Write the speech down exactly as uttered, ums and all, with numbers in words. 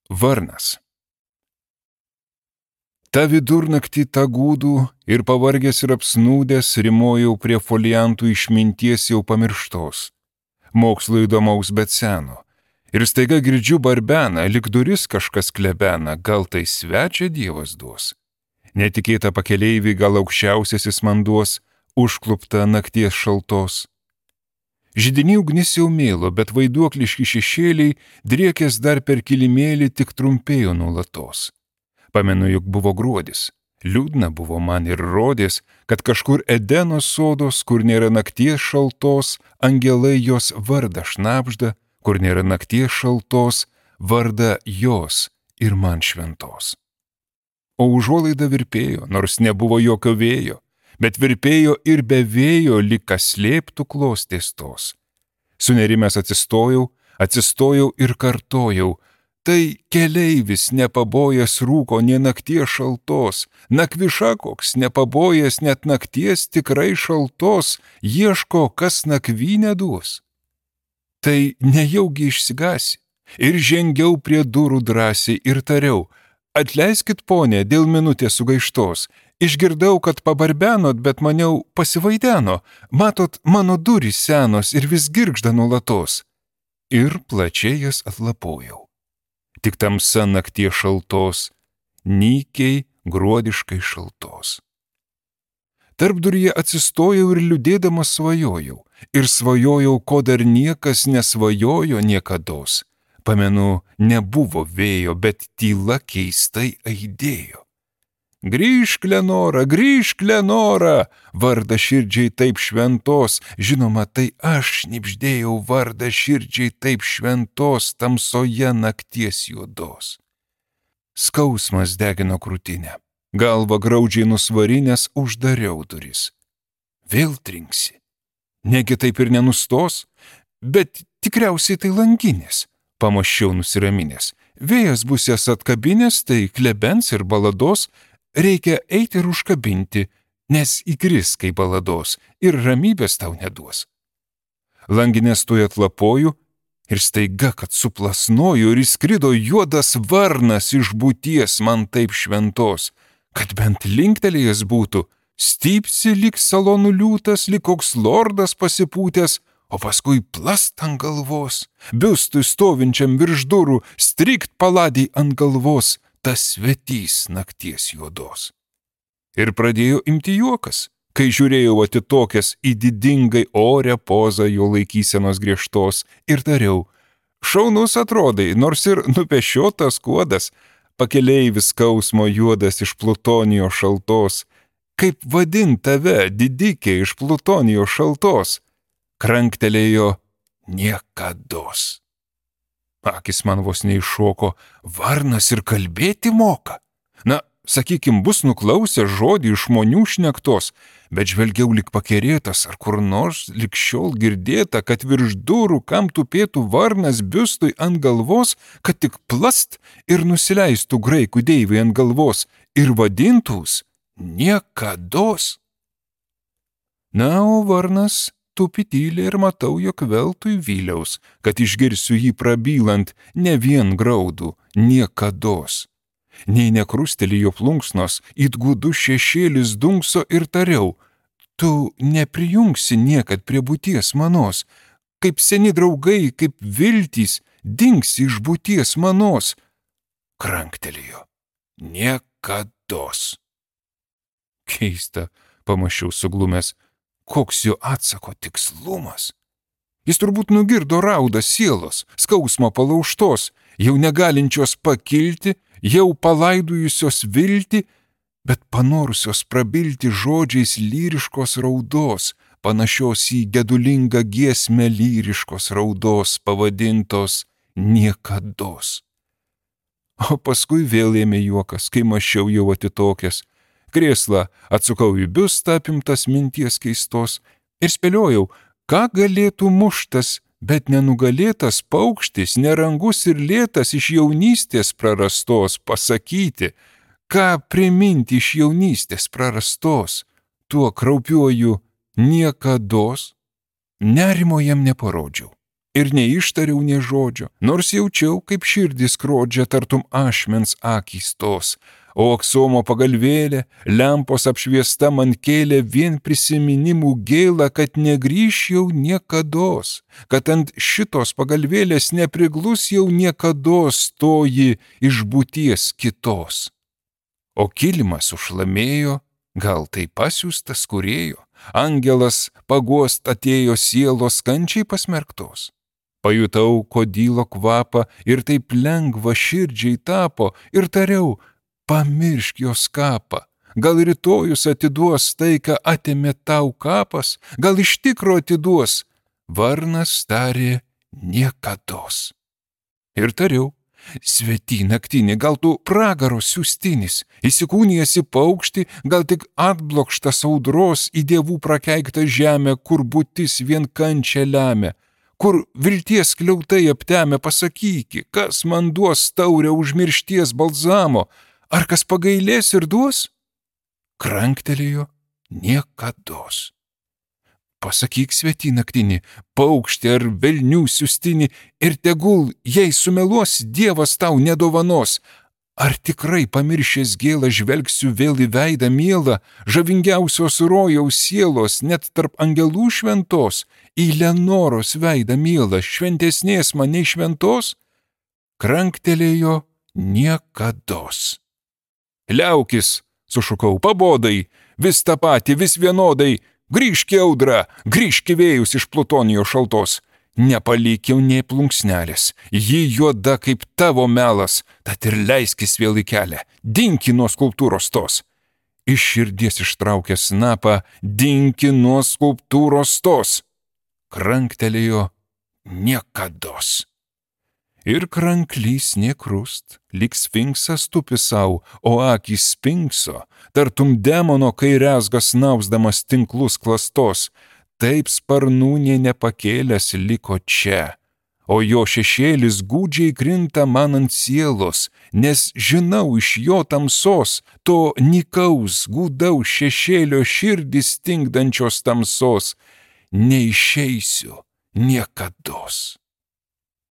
Varnas. Ta vidurnaktį tą gūdų ir pavargęs ir apsnūdęs rimojau prie foliantų išminties jau pamirštos, mokslo įdomaus bet seno, ir staiga girdžiu barbeną, lik duris kažkas klebena, gal tai svečia Dievas duos. Netikėta pakeleivį gal aukščiausiasis man duos, užklupta nakties šaltos. Židiny ugnis jau mėlo, bet vaiduokliški šešėliai, driekės dar per kilimėlį, tik trumpėjo nuolatos. Pamenu, juk buvo gruodis, liūdna buvo man ir rodės, kad kažkur Edeno sodos, kur nėra nakties šaltos, angelai jos vardą šnabžda, kur nėra nakties šaltos, vardą jos ir man šventos. O užuolaida virpėjo, nors nebuvo jokio vėjo, bet virpėjo ir be vėjo, lyg kas slėptų klostės tos. Sunerimęs atsistojau, atsistojau ir kartojau, tai keleivis nepabojęs rūko nė nakties šaltos, nakviša koks nepabojęs net nakties tikrai šaltos, ieško, kas nakvynę duos. Tai nejaugi išsigasi, ir žengiau prie durų drąsiai ir tariau, atleiskit, ponė, dėl minutės sugaištos, išgirdau, kad pabarbenot, bet maniau pasivaideno, matot, mano durys senos ir vis girgžda nuolatos. Ir plačiai jas atlapojau. Tik tamsa nakties šaltos, nykiai gruodiškai šaltos. Tarpduryje atsistojau ir liūdėdamas svajojau, ir svajojau, ko dar niekas nesvajojo niekados. Pamenu, nebuvo vėjo, bet tyla keistai aidėjo. Grįžk, Lenora, grįžk, Lenora, vardą širdžiai taip šventos, žinoma, tai aš šnibždėjau vardą širdžiai taip šventos tamsoje nakties juodos. Skausmas degino krūtinę, galva graudžiai nusvarinės uždariau duris. Vėl trinksi, negi taip ir nenustos, bet tikriausiai tai langinės. Pamaščiau nusiraminęs. Vėjas bus jas atkabinės, tai klebens ir balados, reikia eiti ir užkabinti, nes įkris kaip balados ir ramybės tau neduos. Langinės tuoj atlapoju ir staiga, kad suplasnoju ir įskrido juodas varnas iš būties man taip šventos, kad bent linktelėjęs būtų, stypsi lyg salonų liūtas, lyg koks lordas pasipūtęs, o paskui plast ant galvos, biustui stovinčiam virš durų, strikt paladį ant galvos, tas svetys nakties juodos. Ir pradėjo imti juokas, kai žiūrėjau atitokęs į didingai orę pozą jo laikysenos griežtos ir tariau, šaunus atrodai, nors ir nupešiotas kuodas, pakeleivis skausmo juodas iš plutonijos šaltos, kaip vadint tave, didikė iš plutonijos šaltos, kranktelėjo niekados. Akis man vos neiššoko, varnas ir kalbėti moka. Na, sakykim, bus nuklausę žodį iš žmonių šnektos, bet žvelgiau lik pakerėtas, ar kur nors lik šiol girdėta, kad virš durų, kam tupėtų varnas biustui ant galvos, kad tik plast ir nusileistų graikų deivai ant galvos ir vadintūs niekados. Na, o varnas tupi tyliai ir matau, jog veltui vyliaus, kad išgirsiu jį prabylant ne vien graudų, niekados. Nei nekrustelėjo plunksnos, it gūdus šešėlis dunkso ir tariau, tu neprijungsi niekad prie būties manos, kaip seni draugai, kaip viltys, dingsi iš būties manos. Kranktelėjo, niekados. Keista, pamačiau suglumęs, koks jo atsako tikslumas. Jis turbūt nugirdo raudą sielos, skausmo palaužtos, jau negalinčios pakilti, jau palaidojusios viltį, bet panorusios prabilti žodžiais lyriškos raudos, panašios į gedulingą giesmę lyriškos raudos pavadintos niekados. O paskui vėl ėmė juokas, kai mačiau jau atitokęs. Krėslą atsukau į biustą apimtas minties keistos ir spėliojau, ką galėtų muštas, bet nenugalėtas paukštis, nerangus ir lėtas iš jaunystės prarastos pasakyti, ką priminti iš jaunystės prarastos, tuo kraupiuoju niekados. Nerimo jam neparodžiau ir neištariau nė žodžio, nors jaučiau, kaip širdis skrodžia tartum ašmens akys tos, o aksomo pagalvėlė, lempos apšviesta man kėlė vien prisiminimų gėlą, kad negrįš jau niekados, kad ant šitos pagalvėlės nepriglus jau niekados toji iš būties kitos. O kilimas užlamėjo, gal tai pasiųstas kūrėjo, angelas paguost atėjo sielos kančiai pasmerktos. Pajutau kodylo kvapą ir taip lengva širdžiai tapo ir tariau, pamiršk jos kapą. Gal rytojus atiduos tai, ką atėmė tau kapas, gal iš tikro atiduos. Varnas tarė niekados. Ir tariau, svety naktinį, gal tu pragaro siųstinis, įsikūnijęs į paukštį, gal tik atblokštas audros į dievų prakeiktą žemę, kur būtis vien kančia lemia, kur vilties kliautai aptemę pasakyki, kas man duos taurę užmiršties balzamo, ar kas pagailės ir duos? Kranktelėjo niekados. Pasakyk, svety naktinį, paukštį ar velnių siųstinį, ir tegul, jei sumeluos, Dievas tau nedovanos. Ar tikrai pamiršęs gėlą žvelgsiu vėl į veidą mielą, žavingiausios rojaus sielos, net tarp angelų šventos, į Lenoros veidą mielą, šventesnės man nei šventos? Kranktelėjo niekados. Liaukis, sušukau, pabodai, vis tą patį, vis vienodai, grįžk į audrą, grįžk į vėjus iš Plutonijos šaltos. Nepalikiau nei plunksnelės, ji juoda kaip tavo melas, tad ir leiskis vėl į kelią, dinki nuo skulptūros tos. Iš širdies ištraukęs snapą, dinki nuo skulptūros tos. Kranktelėjo niekados. Ir kranklys nekrust, lyg sfinksas tupi sau, o akys spinkso, tartum demono, kai rezgas nausdamas tinklus klastos, taip sparnų nė nepakėlęs liko čia, o jo šešėlis gūdžiai krinta man ant sielos, nes žinau iš jo tamsos, to nykaus, gūdaus šešėlio širdis stingdančios tamsos, neišeisiu niekados.